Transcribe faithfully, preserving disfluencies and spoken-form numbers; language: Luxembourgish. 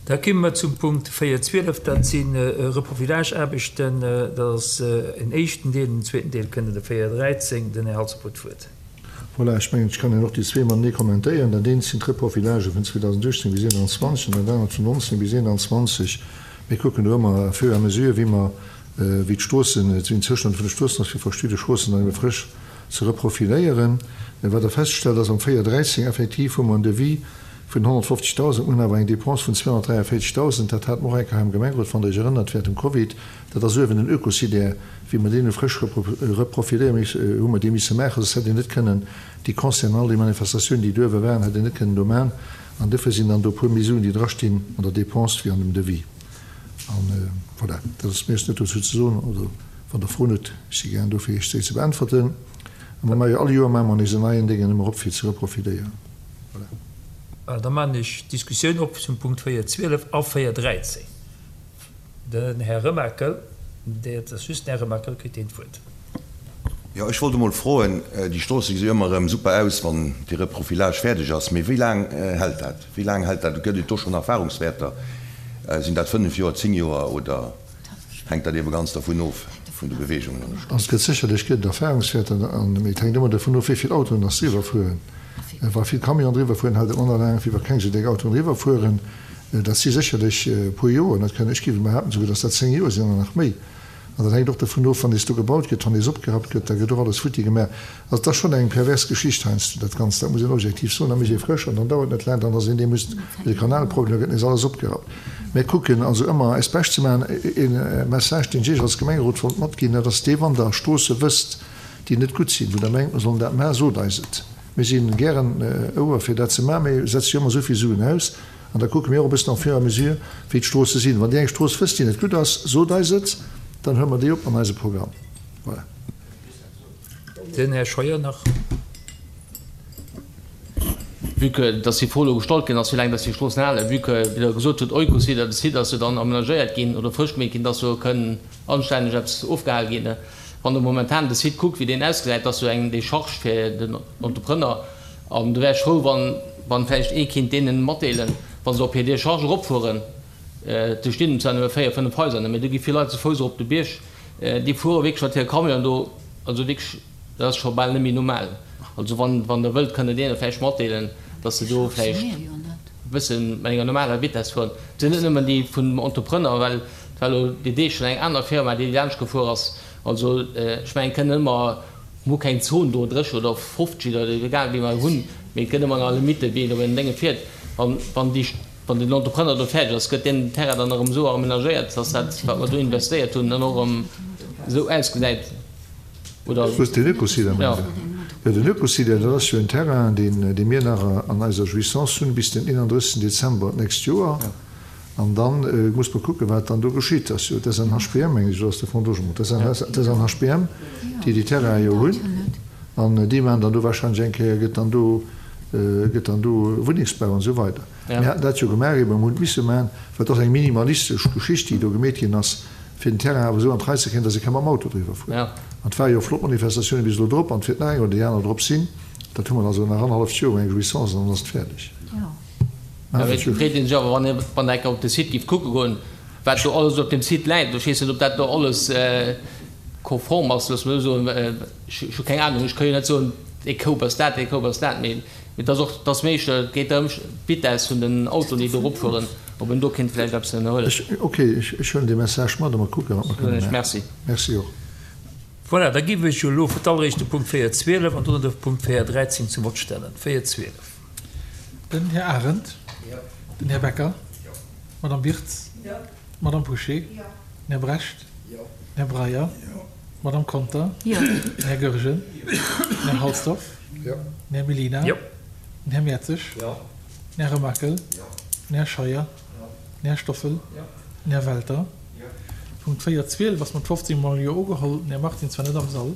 Da komme mer zum Punkt véier zwielef, dat si Reprofilageaarbechten. Dat ass en éischten Deel. Den zweeten Deel kënnt an de véier dräizéng. Den Här Halsdorf huet d'Wuert. Voilà, ech mengen, ech kann och déi zwee matenee kommentéieren. Dat eent sinn d'Reprofilagë vun zweedausenduechtzéng bis eenanzwanzeg an dat anert vun nonzéng bis eenanzwanzeg. Mir kucken do ëmmer à fur et à mesure, wéi mer, wéi d'Stroossen, wéi den Zoustand vun de Stroossen ass, fir verschidde Stroossen dann ebe frësch ze reprofiléieren. Wat Der feststellt, ass am véier dräizéng effektiv hu mer en Devis vun honnertfofzegdausend, mir hunn awer eng Dépense vun zweehonnertdräiavéierzegdausend. Dat hate mer och eng Kéier hei am Gemengerot, wann Der Iech erënnert, während dem Covid. Dat ass uewen den Oekosidaire, wéi mer deen hu frësch reprofiléiere missen, hu mer dee misse maachen, soss hätt een net kënnen déi Concerten an all déi Manifestatiounen, déi do uewe waren, hätt een net kënnen do maachen. An duerfir sinn dann do e puer méi Suen, déi drastinn an der Dépense wéi an dem Devis. An voilà, dat ass méi ass net dozou ze soen. Oder wann Der Froen hutt, ech si gären do fir Iech déi ze beäntwerten. A mer maache jo all Joer maache mer nees en neien Déngen ëmmer op fir ze reprofiléieren. Voilà. Da maachen ech d'Diskussioun op zum Punkt véier zwielef a véier dräizéng. Den Här Remakel, dat ass just den Här Remakel, kritt deen d'Wuert. Jo, ech wollt emol froen, déi Stroosse gesi jo ëmmer erëm super aus, wann dee Reprofilage fäerdeg ass, mee wéi laang hält dat? Wéi laang hält dat? Gëtt et do schonn Erfahrungswäerter? Sinn dat fënnef Joer, zéng Joer oder hänkt dat eebe ganz dervun of, vun de Beweegungen an der Strooss? Also et gëtt sécherlech gëtt et Erfahrungswäerter, an mee et hänkt ëmmer dervun of, wéi vill Autoen dass driwwer fueren. Wa vill Camionen driwwer fueren, hält et manner laang, wéi wa keng esou déck Autoen driwwer fueren. Dat si sécherlech e puer Joer, dat kënne, ech géif behaapten esouguer, dass dat zéng Joer sinn oder nach méi. An dat hänkt och dovun of, wann nees do gebaut gëtt, wann nees opgerappt gëtt, da gëtt och alles futti gemaach. Also et ass schonn eng pervers Geschicht heiansdo, dat Ganzt, dat muss een objektiv soen. Da mécht ee frësch an dann dauert et net laang, dann ass een dee muss de Kanalproblem, da gëtt nees alles opgerappt. Mir kucken also ëmmer eist Bescht ze maachen. E Message, deen ech Iech als Gemengerot wollt matginn, dat ass dee, Wann Der Stroosse wësst, déi net gutt sinn, wou Der mengt, mer sollen dat maachen, sot eis et. Mir si gären ouer fir dat ze maachen, mee setze jo ëmmer esou vill Suen aus. An da kucke mir och e bëssen en fur et à mesure, wéi d'Stroosse sinn. Wann Dir eng Strooss wësst, déi net gutt ass, sot eis et, dann huele mer déi op an eise Programm. Voilà. Den Här Scheuer nach. Vue que dass déi Fro elo gestallt ginn ass, wéi laang dass déi Stroossen halen, vue que, wéi Der gesot hutt, Oikos-Site, de Site ass jo dann amenagéiert ginn oder frësch gemeet ginn, dass do kënn anstänneg eppes ofgehal ginn. Wann Der momentan de Site kuckt, wéi deen ausgesäit, dass do eng Décharge fir den Entrepreneur, an do wär ech frou, wann, wann vläicht ee kinnt deenen matdeelen, wa se op hir Décharge eropfueren, do stinn zwar nëmme véier, fënnef Haiser, mä do gi vill Leit ze Fouss erop de Bierg, déi fuere wierklech mat hire Camionen do, also wierklech, dat ass scho bal net méi normal. Also wann, wann Der wëllt, kënnt Der deene vläicht matdeelen, dass se do vläicht e bësse mat enger normaler Vitesse fueren. Et sinn net nëmmen déi vum Entrepreneur, well et war elo déi Deeg schonn eng aner Firma, déi laanscht gefuer ass. Also ech mengen, et kënn ëmmer, mir hu keng Zon do, drécheg oder fofzeg oder egal wéi mer hunn, mee et gëtt ëmmer nach Limitte wéi een op en Dénge fiert. An wann déi, wann den Entrepreneur do fäerdeg ass, gëtt deen Terrain dann erëm esou amenagéiert, dass dat, wat mer do investéiert hunn, dann och erëm esou ausgesäit, oder? Wou ass den Oekosite, mengt Der? Jo, den Oekosite, dat ass jo en Terrain, deen, dee mir nach an eiser Jouissance hunn bis den eenanddrëssigsten Dezember d'nächst Joer. An da muss mer kucken, wat dann do geschitt. Ass jo d'SNHBM, meng ech, oder ass de Fonds Logement? D'SNHBM, déi déi Terrainen jo hunn. An déi maachen dann do wahrscheinlech eng Kéier, gëtt dann do, gëtt dann do Wunnengsbau an esou weider. Mir haten dat jo gemaach, eben, mir hunn et misse maachen, well et ass eng minimalistesch Geschicht, déi do gemeet ginn ass, fir den Terrain awer esou an d'Rei ze kréien, dass ee ka mam Auto driwwer fueren. An et ware jo flott Manifestatiounen bis elo drop, an et wäert nach eng oder déi aner drop sinn. Dat hu mer also nach annerhalleft Joer eng Jouissance an dann ass et fäerdeg. Mä et freet ee sech awer, wann ee wann eng Kéier op de Site géif kucke goen, wat do alles op deem Site läit. Ech weess net, ob dat do alles konform ass, loosse mer esou soen. Ech hu keng Anung, ech ka jo net soen, dee Koup ass dat, dee Koup ass dat. Mee et ass och, et ass méi, et geet drëm, d'Vitess vun den Autoen, déi do eropfueren, ob een do kéint vläicht eppes ënnerhuelen. Ok, ech huelen dee Message mat a mer kucken, wat mer kënne maachen. Merci. Merci och. Voilà, da géif ech jo elo fir d'alleréischt de Punkt véier zwielef an dono de Punkt véier dräizéng zum Vott stellen. Véier zwielef. Den Här Arendt. Den Här Becker. D'Madame Wirtz. D'Madame Bouché. Den Här Brecht. Den Här Breyer. D'Madame Conter. Den Här Goergen. Den Här Halsdorf. Den Här Mellina. Den Här Mertzig. Den Här Remakel. Den Här Scheuer. Den Här Stoffel. Den Här Welter. Punkt véier zwielef ass mat fofzéng Mol Jo ugeholl. Den Här Martins war net am Sall.